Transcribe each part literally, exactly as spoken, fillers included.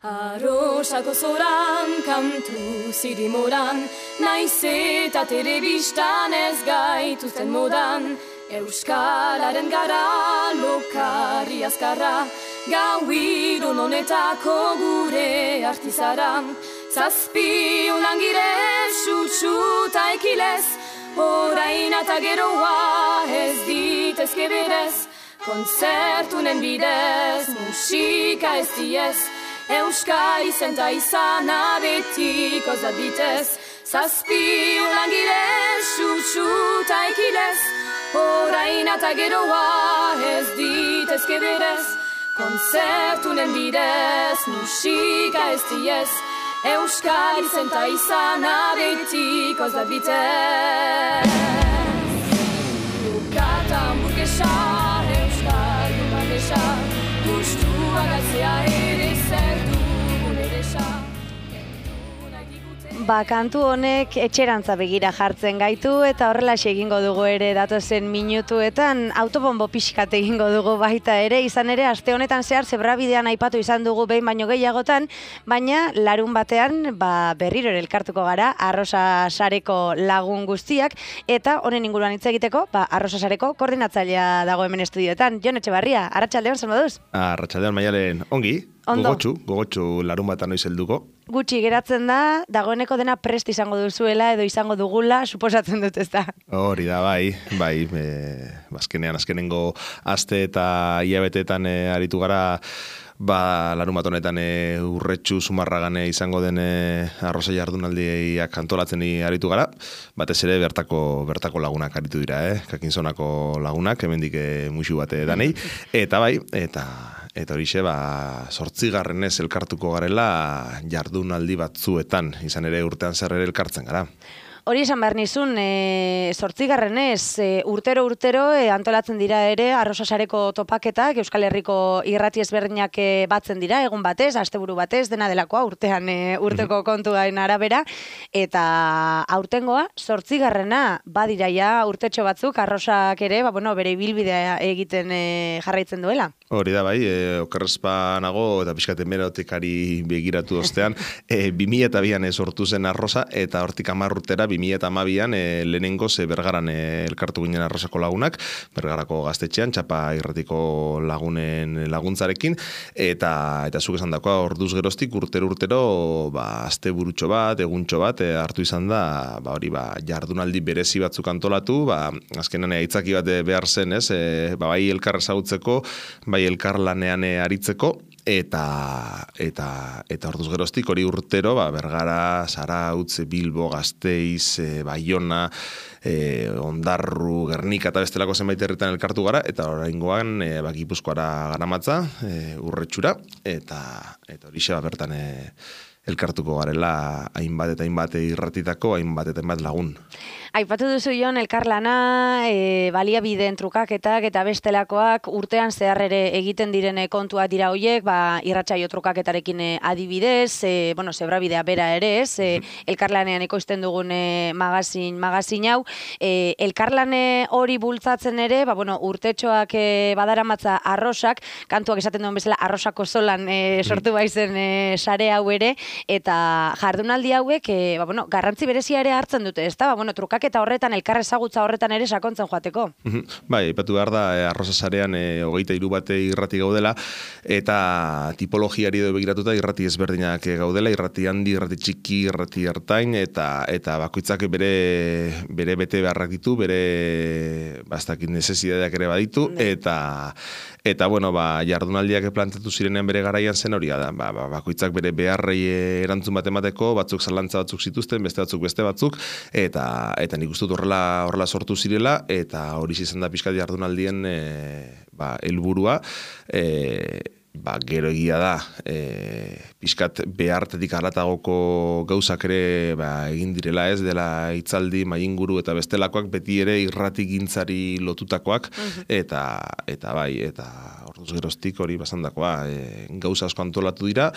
Arrosako zoran, kantu zirimoran, naiz eta telebistan ez gaituzten modan. Euskararen gara, lokarri azkarra, gau irun honetako gure artizara. Zazpi unangire, sutsuta ekilez, orain eta geroa ez ditezke berez. Konzertunen bidez, musika ez diez, Euskal izenta izana betiko zaditez. Zazpi ulangire, sutsuta ekilez, orain eta geroa ez ditezke berez. Konzertunen bidez, musika ez diez, Euskal izenta izana betiko zaditez. Bukata hamburguesa, Euskal dumanesa, gustua galtzea ere zer dugun eresa. Ba, kantu honek etxerantza begira jartzen gaitu eta horrelaxe egingo dugu ere datozen minutuetan, autobombo pixkat egingo dugu baita ere, izan ere aste honetan zehar zebrabidean aipatu izan dugu behin baino gehiagotan, baina larun batean ba, berriro ere elkartuko gara Arrosa Sareko lagun guztiak, eta honen inguruan hitz egiteko, ba, Arrosa Sareko koordinatzailea dago hemen estudioetan. Jon Etxebarria, arratsaldeon, zer moduz? Arratsaldeon, Maialen, ongi, Ondo. gogotsu, gogotsu larun batan noiz helduko. Gutxi geratzen da, dagoeneko dena prest izango duzuela edo izango dugula, suposatzen dut ez da. Hori da, bai, bai, e, azkenean, azkenengo aste eta hilabeteetan e, aritu gara, ba, larun bat honetan e, urretxu Zumarragan izango den e, arroza jardunaldiak antolatzen aritu gara, batez ere bertako bertako lagunak aritu dira, eh? Kakinzonako lagunak, hemendik e, musu bate danei, eta bai, eta eta horixe, ba, zortzigarrenez elkartuko garela jardunaldi batzuetan, izan ere urtean zer ere elkartzen gara. Hori esan behar nizun, e, zortzigarrenez, e, urtero-urtero e, antolatzen dira ere Arrosa Sareko topaketak, Euskal Herriko irrati ezberdinak e, batzen dira, egun batez, asteburu batez, dena delakoa, urtean e, urteko kontuain arabera, eta aurtengoa, zortzigarrena badira ja urtetxo batzuk, Arrosak ere, ba, bueno, bere ibilbidea egiten e, jarraitzen duela. Hori da, bai, e, okerrezpa nago, eta pixkaten merotekari begiratu ostean, e, bi mila eta bian sortu zen Arrosa, eta hortik hamar urtera, bi mila eta hamabian e, lehenengo ze Bergaran e, elkartu ginen Arrosako lagunak, Bergarako gaztetxean, txapa irratiko lagunen laguntzarekin, eta eta zuk esan dakoa, orduz geroztik urtero-urtero, ba, azte burutxo bat, eguntxo bat, e, hartu izan da, ba, hori, ba, jardunaldi berezi batzuk antolatu, ba, azkenan aitzaki bat behar zen, ez, e, ba, bai elkar ezagutzeko, bai elkar lanean aritzeko, eta eta eta orduz geroztik hori urtero, ba, Bergara, Zarautz, Bilbo, Gasteiz, e, Baiona, e, Ondarru, Gernika eta bestelako zenbait herritan elkartu gara, eta oraingoan e, ba, Gipuzkoara garamatza, e, urretxura, eta eta horixe ba, bertan e, elkartuko garela hainbat eta hainbat irratitako, hainbat eta hainbat lagun. Aipatu duzu Jon, elkarlana, e, baliabideen trukaketak eta bestelakoak urtean zehar ere egiten diren kontuak dira hoiek, ba, irratsaio trukaketarekin e, adibidez, e, bueno, zebrabidea bera ere ez, e, elkarlanean ekoizten dugun e, magazin, magazin hau, e, elkarlane hori bultzatzen ere, ba, bueno, urtetxoak e, badaramatza Arrosak, kantuak esaten duen bezala Arrosako zolan e, sortu baizen e, sare hau ere, eta jardunaldi hauek, e, ba, bueno, garrantzi berezia ere hartzen dute, ez da, ba, bueno, trukak eta horretan, elkar ezagutza horretan ere sakontzen joateko. Bai, aipatu behar da, e, Arrosa Sarean e, hogeita hiru bate irrati gaudela, eta tipologiari edo begiratuta irrati ezberdinak gaudela, irrati handi, irrati txiki, irrati ertain, eta eta bakoitzak bere bere bete beharrak ditu, bere bastakin necesidades ere baditu, eta eta bueno, ba, jardunaldiak plantatu zirenean bere garaian zen hori da, ba, ba, bakoitzak bere beharrei erantzun bat emateko, batzuk zalantza batzuk zituzten, beste batzuk beste batzuk, eta eta nik uste dut horrela, horrela sortu zirela, eta hori izan da pixkat jardunaldien e, ba, helburua, e, ba, gero egia da, e, pixkat behartetik haratagoko gauzak ere ba, egin direla ez, dela hitzaldi, mainguru eta bestelakoak, beti ere irrati gintzari lotutakoak, eta, eta bai, eta orduz geroztik hori basandakoa, e, gauza asko antolatu dira,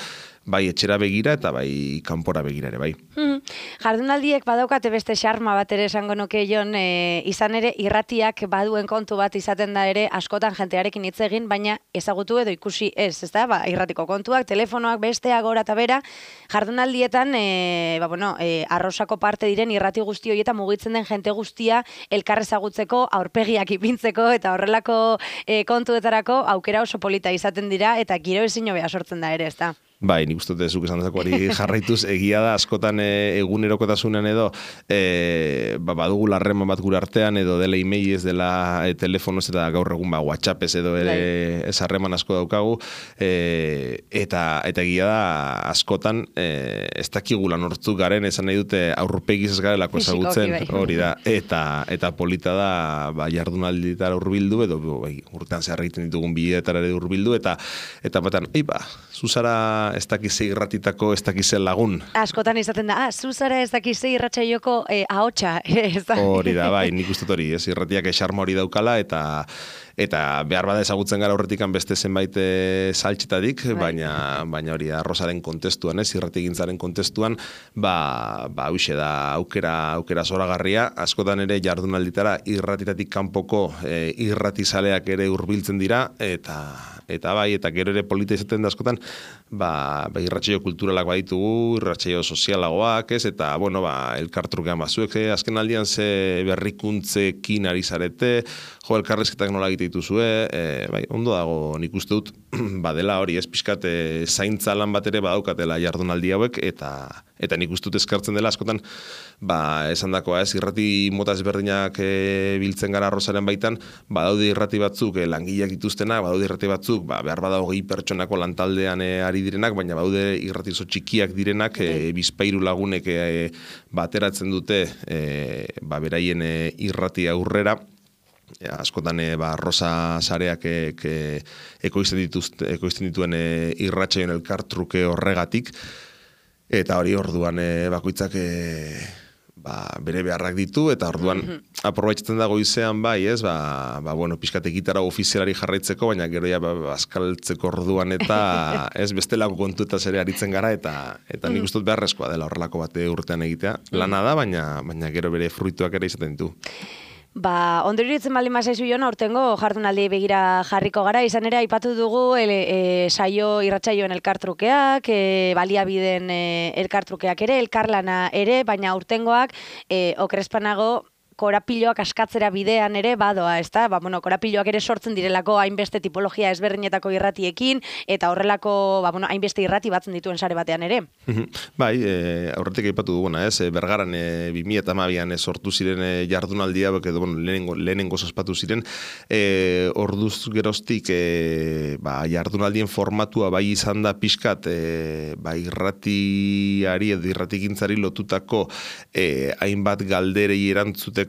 bai etxera begira eta bai kanpora begira ere, bai. Hmm. Jardunaldiek badaukate beste xarma bat ere esango nuke Jon, e, izan ere irratiak baduen kontu bat izaten da ere askotan jentearekin hitz egin, baina ezagutu edo ikusi ez, ezta? Ba, irratiko kontuak, telefonoak, besteak, gora eta bera, jardunaldietan, e, ba, bueno, e, arrosako parte diren irrati guzti horietan mugitzen den jente guztia elkar ezagutzeko, aurpegiak ipintzeko eta horrelako e, kontuetarako aukera oso polita izaten dira eta giro ezin hobea sortzen da ere, ezta? Bai, nik uste dut zuk esan dezakoari jarraituz, egia da askotan e, egunerokotasunean edo e, ba, badugu larreman bat gure artean edo dela emailez, dela e, telefonoz eta gaur egun ba, WhatsAppez edo ere ez harreman asko daukagu e, eta eta egia da askotan e, ez dakigula nortzu garen esan nahi dute aurpegiz ez garelako ezagutzen hori da eta eta polita da ba, jardunalditara hurbildu edo bai, urtean zehar egiten ditugun bideetara ere hurbildu eta eta batan, ei ba, zuzara ez dakize irratitako, ez dakize lagun. Askotan izaten da, ah, zuzara ez dakize irratsaioko eh, ahotsa. Hori da, bai, nik uste hori, ez irratiak esarma hori daukala, eta eta behar bada ezagutzen gara horretikan beste zenbait e, saltxetadik, baina, baina hori arrozaren kontestuan, ez, irratigintzaren kontestuan, ba, ba, huixe da aukera, aukera zoragarria, askotan ere jardunalditara irratitatik kanpoko e, irratizaleak ere hurbiltzen dira, eta eta bai, eta gero ere polita izaten da askotan, ba, ba irratsaio kulturalak baditugu, irratsaio sozialagoak, ez, eta, bueno, ba, elkartrukean bazuek, eh, azken aldian ze berrikuntzekin ari zarete, jo, elkarrezketak nola egite dituzue, e, bai, ondo dago nik uste dut, badela hori, ez, pixkat, e, zaintza lan bat ere badaukatela jardunaldi hauek, eta eta nik uste dut eskartzen dela, askotan, ba, esan dakoa, ez, irrati mota ezberdinak e, biltzen gara arrozaren baitan, badaude irrati batzuk, e, langileak dituztenak, badaude irrati batzuk, ba, behar bada hogei pertsonako lantaldean e, ari direnak, baina badaude irrati oso txikiak direnak, e, bizpairu lagunek e, bateratzen dute, e, ba, beraien e, irrati aurrera, ja, askotan e, ba, rosa sareak e, e, ekoizten, dituzte, ekoizten dituen e, irratsaioen elkartruke horregatik, eta hori orduan e, bakoitzak e, ba, bere beharrak ditu, eta orduan mm-hmm. aprobetxatzen da goizean bai, ez, ba, ba bueno, pixkate gitara ofizialari jarraitzeko, baina gero ja ba, azkaltzeko orduan eta ez bestelako kontuetaz ere aritzen gara, eta eta nik uste dut beharrezkoa dela horrelako bate urtean egitea. Lana da, baina, baina gero bere fruituak ere izaten ditu. Ba, ondori ditzen baldin mazaizu Jon, aurtengo jardunaldi begira jarriko gara, izan ere aipatu dugu ele, e, saio irratsaioen elkartrukeak, e, baliabideen e, elkartrukeak ere, elkarlana ere, baina aurtengoak e, okrespanago korapiloak askatzera bidean ere badoa, ezta? Ba, bueno, korapiloak ere sortzen direlako hainbeste tipologia ezberdinetako irratiekin eta horrelako, ba, bueno, hainbeste irrati batzen dituen sare batean ere. Bai, e, aurretik aipatu duguna, ez? E, Bergaran e, bi mila hamabian e, sortu ziren e, jardunaldia, edo bueno, lehenengo lehenengo ospatu ziren, e, orduz geroztik e, ba, jardunaldien formatua bai izan da pixkat, e, ba, irratiari edo irratigintzari lotutako e, hainbat galderei erantzuteko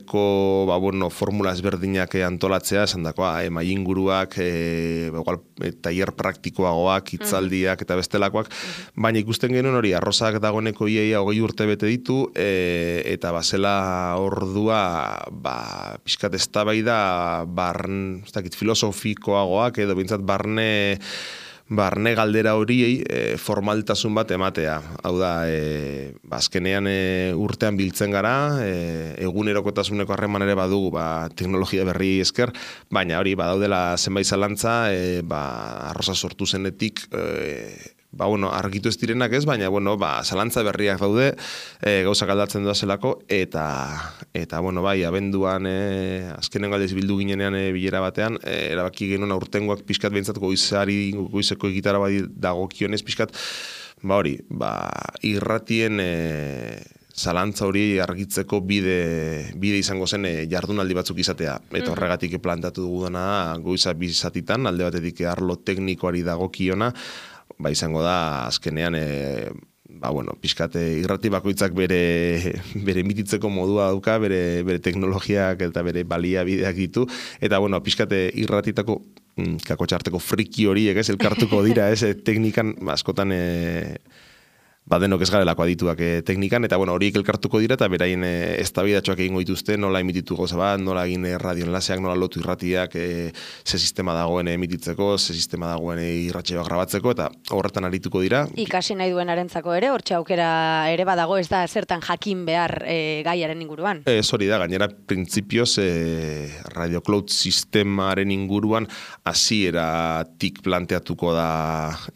ba, bueno, formula ezberdinak antolatzea, esan dakoa, e, mainguruak, e, igual, e, tailer praktikoagoak, hitzaldiak eta bestelakoak, baina ikusten genuen hori, arrozak dagoeneko iaia hogei urte bete ditu, e, eta bazela ordua, ba, pixkat eztabaida barn, ez dakit, filosofikoagoak, edo bintzat barne barne galdera horiei e, formaltasun bat ematea. Hau da, e, azkenean e, urtean biltzen gara, e, egunerokotasuneko harreman ere badugu, ba, teknologia berri esker, baina hori badaudela zenbait zalantza, e, ba, arroza sortu zenetik, e, ba, bueno, argitu ez direnak ez, baina, bueno, ba, zalantza berriak daude, e, gauzak aldatzen doazelako, eta, eta, bueno, bai, abenduan, e, azkenen galdez bildu ginenean e, bilera batean, e, erabaki genuen aurtengoak pixkat behintzat goizari, goizeko egitara bai dagokionez pixkat, ba, hori, ba, irratien, e, zalantza hori argitzeko bide, bide izango zen e, jardunaldi batzuk izatea. Eta horregatik plantatu duguna goiza bizatitan, alde batetik arlo teknikoari dagokiona, ba izango da azkenean e, ba bueno, pixkate irrati bakoitzak bere bere emititzeko modua dauka, bere bere teknologiak eta bere baliabideak ditu eta bueno, pixkate irratitako kako txarteko friki horiek, ez, elkartuko dira, ez, teknikan askotan e, badenok ez garelako adituak e, teknikan, eta bueno, horiek elkartuko dira, eta beraien e, eztabaidatxoak egingo dituzte, nola emititu gauza bat, nola egin e, radioenlaseak, nola lotu irratiak, e, ze sistema dagoen emititzeko, ze sistema dagoen irratsaioak grabatzeko, eta horretan arituko dira. Ikasi nahi duenarentzako ere, hortxe aukera ere badago, ez da zertan jakin behar e, gaiaren inguruan. Ez hori da, gainera, printzipioz, e, Radio Cloud sistemaren inguruan, hasieratik planteatuko da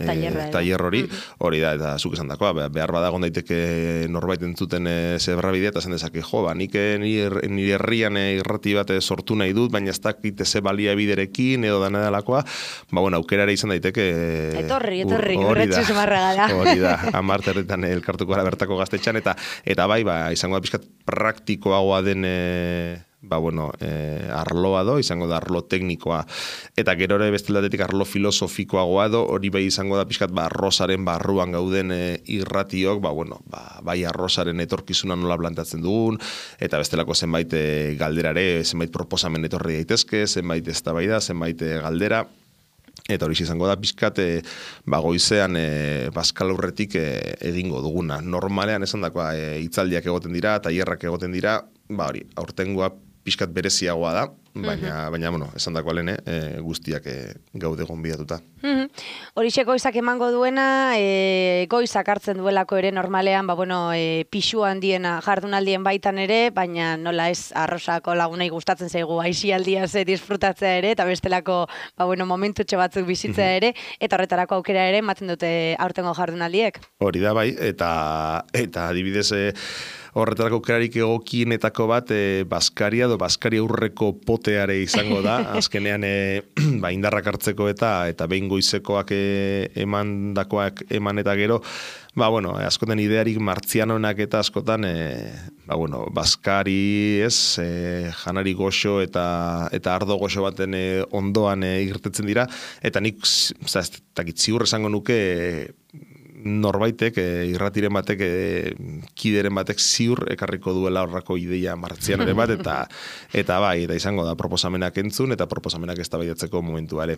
e, tailer hori, hori da, eta zuk esan dakoa, behar badagon daiteke norbait entzuten e, zebrabidea, eta zen dezake, jo, ba, nik nire, nire herrian e, irrati bat e, sortu nahi dut, baina ez dakit ze balia biderekin, edo dana delakoa, ba, bueno, aukera ere izan daiteke... E, etorri, etorri, urretxu zumarra gara. Hori da, amarterretan elkartuko gara bertako gaztetxan, eta eta bai, ba, izango da pixkat praktikoagoa den... E, ba, bueno, eh, arloa do, izango da arlo teknikoa, eta gero ere bestelatetik arlo filosofikoagoa do, hori bai izango da pixkat, ba, arrozaren barruan gauden e, irratiok, ba, bueno, ba, bai arrozaren etorkizuna nola plantatzen dugun, eta bestelako zenbait e, galderare, zenbait proposamen etorri daitezke, zenbait eztabaida, zenbait e, galdera, eta hori izango da pixkat, e, ba, goizean e, Baskal aurretik e, egingo duguna. Normalean esan dakoa, e, hitzaldiak egoten dira, tailerrak egoten dira, ba, hori, aurtengoa pixkat bereziagoa da, baina, baina bueno, esan dako alene, e, guztiak e, gaude gonbidatuta. Horixe goizak emango duena, e, goizak hartzen duelako ere normalean, ba, bueno, e, pixu handiena jardunaldien baitan ere, baina nola ez arrosako lagunei gustatzen zaigu aisialdia ze disfrutatzea ere, eta bestelako, ba, bueno, momentutxo batzuk bizitzea ere, eta horretarako aukera ere ematen dute aurtengo jardunaldiek. Hori da bai, eta, eta adibidez, e, horretarako aukerarik egokienetako bat e, Baskaria edo Baskaria aurreko poteare izango da, azkenean e, ba, indarrak hartzeko eta eta behin goizekoak e, emandakoak eman eta gero, ba, bueno, askotan idearik martzianonak eta askotan, e, ba, bueno, Baskari, ez, e, janari goxo eta eta ardo goxo baten e, ondoan e, irtetzen dira, eta nik, za, ez dakit ziur esango nuke, e, norbaitek, e, irratiren batek, e, kideren batek ziur ekarriko duela horrako ideia martzianaren bat, eta eta bai, eta izango da proposamenak entzun, eta proposamenak eztabaidatzeko momentua ere.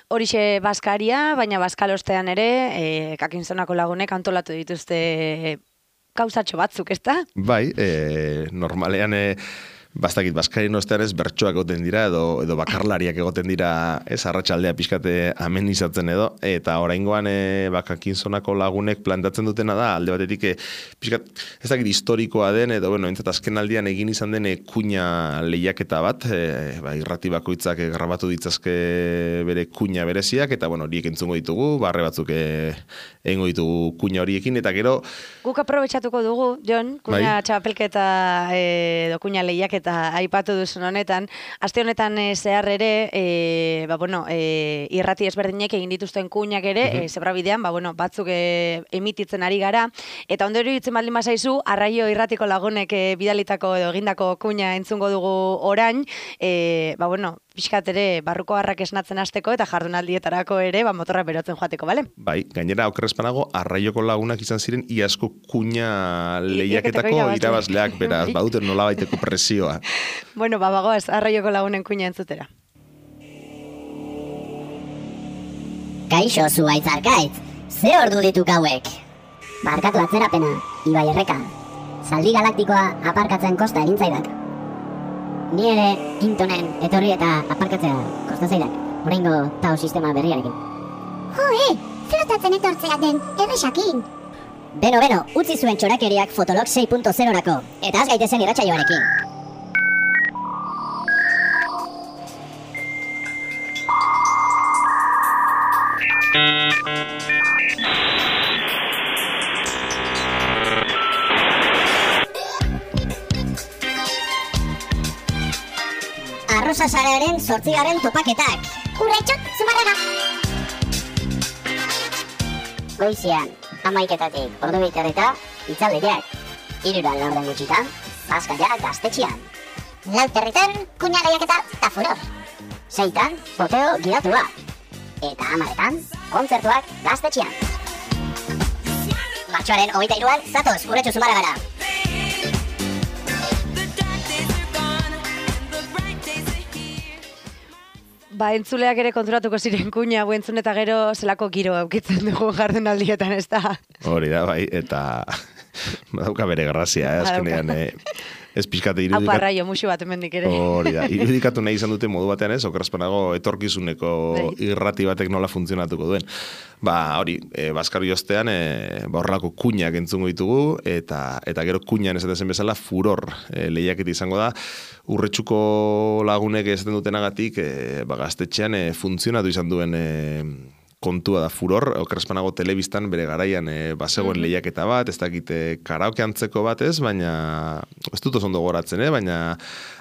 Horixe Baskaria, baina Baskalostean ere, e, kakinzonako lagunek antolatu dituzte gauzatxo batzuk, ez da? Bai, e, normalean... E, Bastakit, Baskarien ostean ez bertsoak egoten dira, edo, edo bakarlariak egoten dira, ez, arratsaldea pixkate amenizatzen edo, eta oraingoan e, bakakinzonako lagunek plantatzen dutena da, alde batetik, e, pixkat, ez dakit historikoa den, edo, bueno, entzat azken aldian egin izan den e, kuña lehiaketa bat, e, ba, irrati bakoitzak e, grabatu ditzazke bere kuña bereziak, eta, bueno, horiek entzungo ditugu, barre batzuk e, egingo ditugu kuña horiekin, eta gero... Guk aprobetxatuko dugu, Jon, kuña bai. Txapelketa edo kuña lehiaketa eta aipatu duzun honetan, aste honetan e, zehar ere, e, ba, bueno, e, irrati ezberdinek egin dituzten kuñak ere, uh-huh. e, zebrabidean, ba, bueno, batzuk e, emititzen ari gara, eta ondo iruditzen baldin bazaizu, Arraio irratiko lagunek e, bidalitako edo egindako kuña entzungo dugu orain, e, ba, bueno, pixkat ere barruko harrak esnatzen hasteko eta jardunaldietarako ere ba, motorra berotzen joateko, bale? Bai, gainera okerrezpanago Arraioko lagunak izan ziren iazko kuña lehiaketako irabazleak, beraz, baduten nolabaiteko presioa. Bueno, ba, bagoaz, Arraioko lagunen kuña entzutera. Kaixo, zuaitz arkaitz, ze ordu ditu gauek? Barkatu atzerapena, Ibai Erreka. Zaldi galaktikoa aparkatzen kosta egintzaidak. Ni ere Intonen etorri eta aparkatzea kosta zaidak, oraingo tau sistema berriarekin. Jo, e, flotatzen etortzea den, erresakin. Beno, beno, utzi zuen txorakeriak Fotolog sei puntu zerorako, eta az gaitezen irratsaioarekin. Arrosa sarearen zortzigaren topaketak. Urretxot, zumarraga. Goizian, amaiketatik ordu biterreta, itzaldiak. Iruran laurden gutxitan, Baskaia gaztetxian. Lauterritan, kuña lehiaketa eta furor. Seitan, poteo gidatua. Eta amaretan, kontzertuak gaztetxian. Martxoaren hogeita hiruan, zatoz, urretxu zumarragara. Ba, entzuleak ere konturatuko ziren kuña, hau entzun eta gero zelako giro aukitzen dugu jardunaldietan, ez da? Hori da, bai, eta badauka bere grazia, eh, azkenean, eh, ez pixkate irudikat... Hau parraio, musu bat emendik ere. Hori da, irudikatu nahi izan dute modu batean ez, okerrazpanago etorkizuneko irrati batek nola funtzionatuko duen. Ba, hori, e, Baskar Jostean, e, ba, horrelako kuñak entzungo ditugu, eta eta gero kuñan esaten bezala furor e, lehiaketa izango da, Urretxuko lagunek esaten dutenagatik, e, ba, gaztetxean e, funtzionatu izan duen e, kontua da furor, okerrezpanago telebistan bere garaian e, bazegoen mm-hmm. lehiaketa bat, ez dakite karaoke antzeko bat ez, baina ez dut oso ondo goratzen, eh? Baina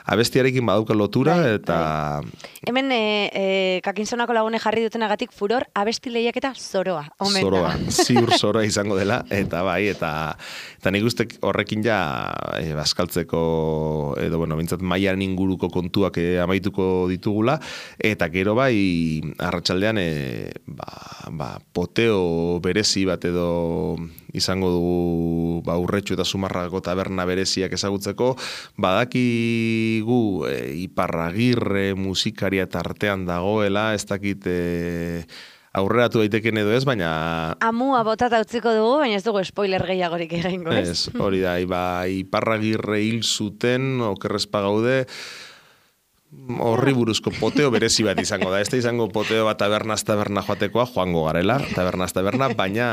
abestiarekin badauka lotura, bai, eta... Bai. Hemen e, e, kakinzonako lagune jarri dutenagatik furor abesti lehiaketa zoroa. Omen zoroa, ziur zoroa izango dela, eta bai, eta, eta nik uste horrekin ja e, baskaltzeko, edo bueno, bintzat mailan inguruko kontuak e, amaituko ditugula, eta gero bai, arratsaldean e, ba, ba, poteo berezi bat edo izango dugu ba, Urretxu eta Zumarragako taberna bereziak ezagutzeko, badakigu e, Iparragirre musikaria tartean dagoela, ez dakit e, aurreratu daiteken edo ez, baina... Amua botata utziko dugu, baina ez dugu spoiler gehiagorik egingo, ez? Ez, hori da, iba, Iparragirre hil zuten, okerrezpa gaude, horri buruzko poteo berezi bat izango da. Ez da izango poteo bat tabernaz taberna joatekoa, joango garela, tabernaz taberna, baina,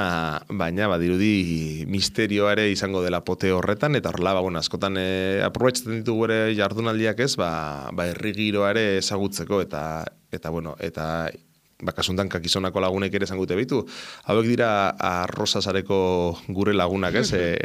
baina badirudi misterioa ere izango dela poteo horretan, eta horrela, ba, bueno, askotan e, aprobetxatzen ditugu ere jardunaldiak ez, ba, ba herri giroa ere ezagutzeko, eta, eta bueno, eta... bakasuntan kakizonako lagunek ere zangute bitu. Hauek dira arrozazareko gure lagunak, ez? E,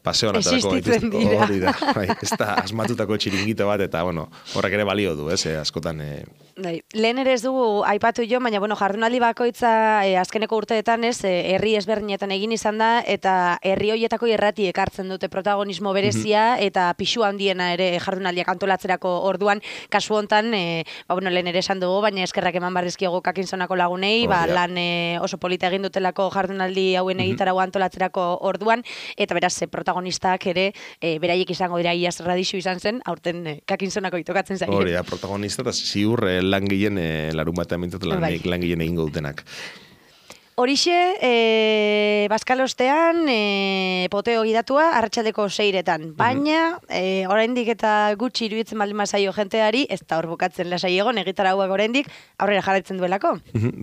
paseoan atarako existitzen dira. Hori da, bai, ez da asmatutako txiringito bat, eta bueno, horrek ere balio du, ez? E, askotan... E... Dai, lehen ere ez dugu aipatu jo, baina bueno, jardunaldi bakoitza e, azkeneko urteetan ez, e, herri ezberdinetan egin izan da, eta herri hoietako irrati ekartzen dute protagonismo berezia, mm-hmm. eta pixu handiena ere jardunaldiak antolatzerako orduan, kasu hontan, e, ba, bueno, lehen ere esan dugu, baina eskerrak eman barrizkiago kakinzonako lagunei, oh, ba, ja. lan e, oso polita egin dutelako jardunaldi hauen mm-hmm. egitarago antolatzerako orduan, eta beraz, e, protagonistak ere, e, beraiek izango dira iaz radixu izan zen, aurten e, kakinzonako itokatzen zaire. Hori da, protagonista, eta ziur e, langileen e, larun batean mintzat lan, bai. langileen egingo dutenak. Horixe, e, Baskalostean, e, poteo gidatua, arratsaldeko seiretan. Baina, e, oraindik eta gutxi iruditzen baldin mazaio jenteari, ez da hor bukatzen lasai egon, egitarauak oraindik aurrera jarraitzen duelako.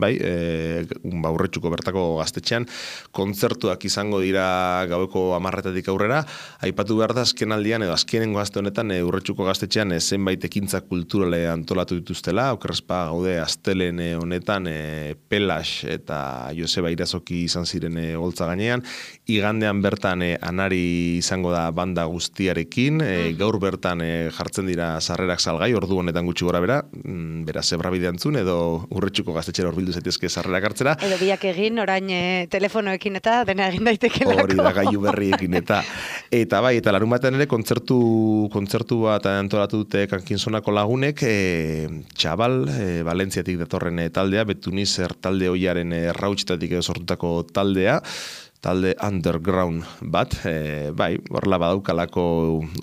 Bai, e, ba, Urretxuko bertako gaztetxean, kontzertuak izango dira gaueko hamarretatik aurrera, aipatu behar da azken aldian, edo azkenengo gazte honetan, e, Urretxuko gaztetxean, e, zenbait ekintza kulturale antolatu dituztela, okerrezpa gaude astelen honetan, e, Pelas eta Joseba Irazoki izan ziren e, holtza gainean, igandean bertan e, anari izango da banda guztiarekin, e, gaur bertan e, jartzen dira sarrerak salgai, ordu honetan gutxi gora bera, mm, bera zebrabide antzun, edo Urretxuko gaztetxera horbildu zaitezke sarrerak hartzera. Edo biak egin, orain e, telefonoekin eta dena egin daitekelako. Hori da, gailu berriekin eta eta bai, eta larun batean ere kontzertu, kontzertu bat antolatu dute kankinzonako lagunek, e, Txabal, e, Valentziatik datorren e, taldea, Betunizer talde hoiaren e, Rautxetatik edo sortutako taldea, talde underground bat, e, bai, horrela badaukalako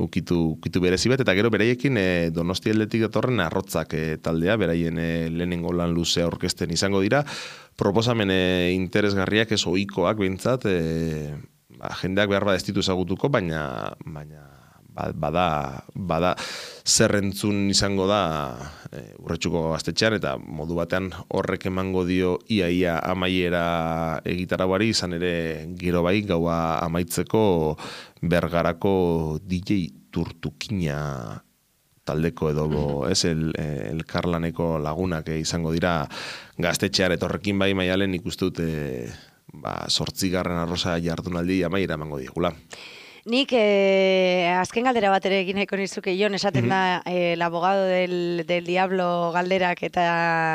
ukitu, ukitu berezi bat, eta gero beraiekin e, Donosti aldetik datorren arrotzak e, taldea, beraien e, lehenengo lan luzea orkesten izango dira, proposamen e, interesgarriak ez ohikoak behintzat, e, ba, jendeak behar bat ez ditu ezagutuko, baina, baina bada, bada zerrentzun izango da e, Urretxuko gaztetxean, eta modu batean horrek emango dio iaia amaiera egitarauari, izan ere gero bai gaua amaitzeko Bergarako D J Turtukina taldeko edo ez el, elkarlaneko lagunak izango dira gaztetxean, eta horrekin bai Maialen ikusten dut e, ba, zortzigarren arroza jardunaldi amaiera emango diegula. Nik eh, azken galdera bat ere egin nahiko nizuke Jon, esaten mm-hmm. da eh, el abogado del, del diablo galderak eta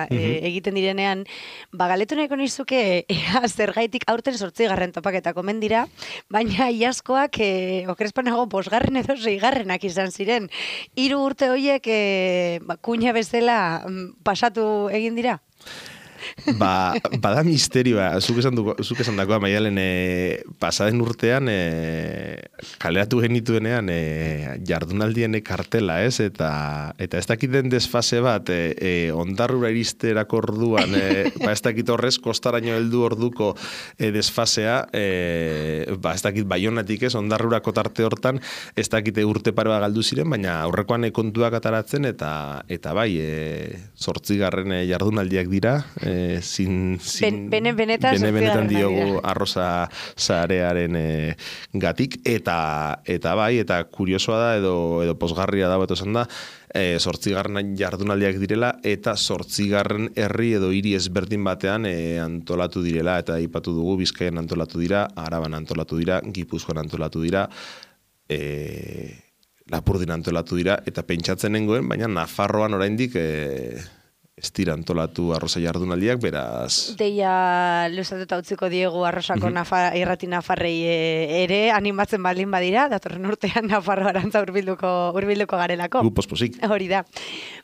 mm-hmm. eh, egiten direnean, ba galetu nahiko nizuke ea zergaitik aurten zortzigarren topaketak omen dira, baina iazkoak eh, okrespanago bosgarren edo seigarrenak izan ziren. Hiru urte horiek eh, ba, kuña bezala pasatu egin dira? Ba, bada misterioa, zuk esan, duko, zuk esan dakoa, Maialen, e, pasaden urtean, e, kaleratu genituenean, e, jardunaldien kartela, ez? Eta, eta ez dakiten desfase bat, e, e, ondarrura iristerako orduan, e, ba ez dakit horrez, kostaraino heldu orduko e, desfasea, e, ba ez dakit Baionatik ez, ondarrurako tarte hortan, ez dakite urte paroa galdu ziren, baina aurrekoan kontuak ataratzen, eta, eta bai, e, zortzigarren e, jardunaldiak dira, e, zin, zin, ben, bene benetan, bene benetan diogu dira. arroza zarearen e, gatik, eta, eta bai, eta kuriosoa da, edo, edo posgarria da, beto esan da, e, zortzigarren jardunaldiak direla, eta zortzigarren herri edo hiri ezberdin batean e, antolatu direla, eta aipatu dugu, Bizkaian antolatu dira, Araban antolatu dira, Gipuzkoan antolatu dira, e, Lapurdin antolatu dira, eta pentsatzen nengoen, baina Nafarroan oraindik e, ez dira antolatu arroza jardunaldiak, beraz... Deia luzatuta utziko diegu arrosako Mhm. nafa, irrati nafarrei e, ere animatzen baldin badira, datorren urtean Nafarro arantza urbilduko, urbilduko garelako. Gu posposik. Hori da.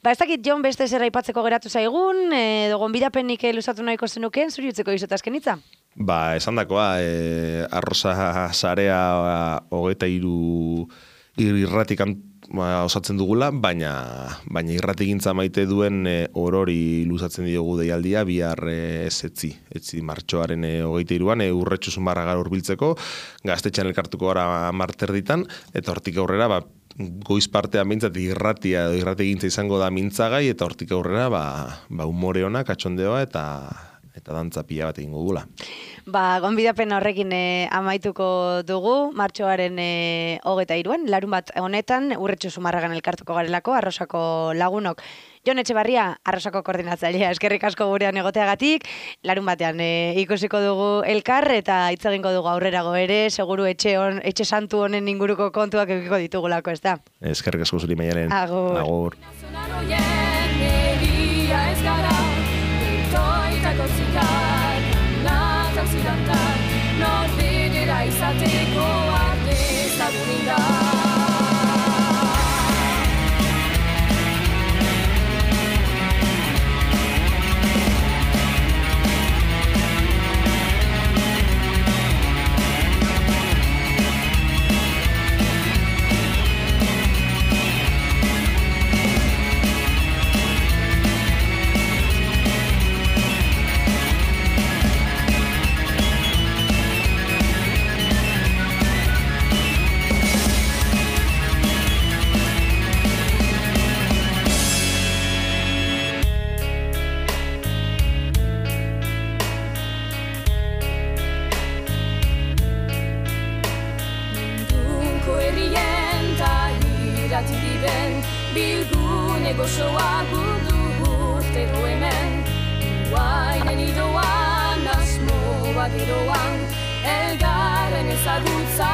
Ba, ez dakit, Jon, beste zer aipatzeko geratu zaigun, edo gonbidapenik luzatu nahiko zenukeen, zuri utzeko izot azkenitza? Ba, esan dakoa, e, arroza zarea hogeita hiru irratik ba, osatzen dugula, baina baina irratigintza maite duen e, orori luzatzen diogu deialdia bihar e, ez etzi, etzi martxoaren e, hogeita hiruan e, urretxu zumarra gara urbiltzeko, gaztetxean elkartuko gara marterditan, eta hortik aurrera, ba, goiz partean bintzat irratia edo irratigintza izango da mintzagai, eta hortik aurrera, ba, ba umore ona, katxondeoa, eta eta dantza pila bat egingo dugula. Ba, gonbidapen horrekin e, amaituko dugu, martxoaren e, hogeta iruan, larun bat honetan, urretxu zumarragan elkartuko garelako, arrosako lagunok. Jon Etxebarria, arrosako koordinatzailea, eskerrik asko gurean egoteagatik, larun batean e, ikusiko dugu elkar, eta hitz egingo dugu aurrerago ere, seguru etxe, on, etxe santu honen inguruko kontuak egiko ditugulako, ez da? Eskerrik asko zuri Maialen. Agur. Agur. Nazional hoien egia ez gara, toitako zikar, nata zidantar, norbidera izateko arte zagurin da. Bilgune gozoa gudu urtero hemen, guainen idoan, asmo bat iroan, elgarren ezagutza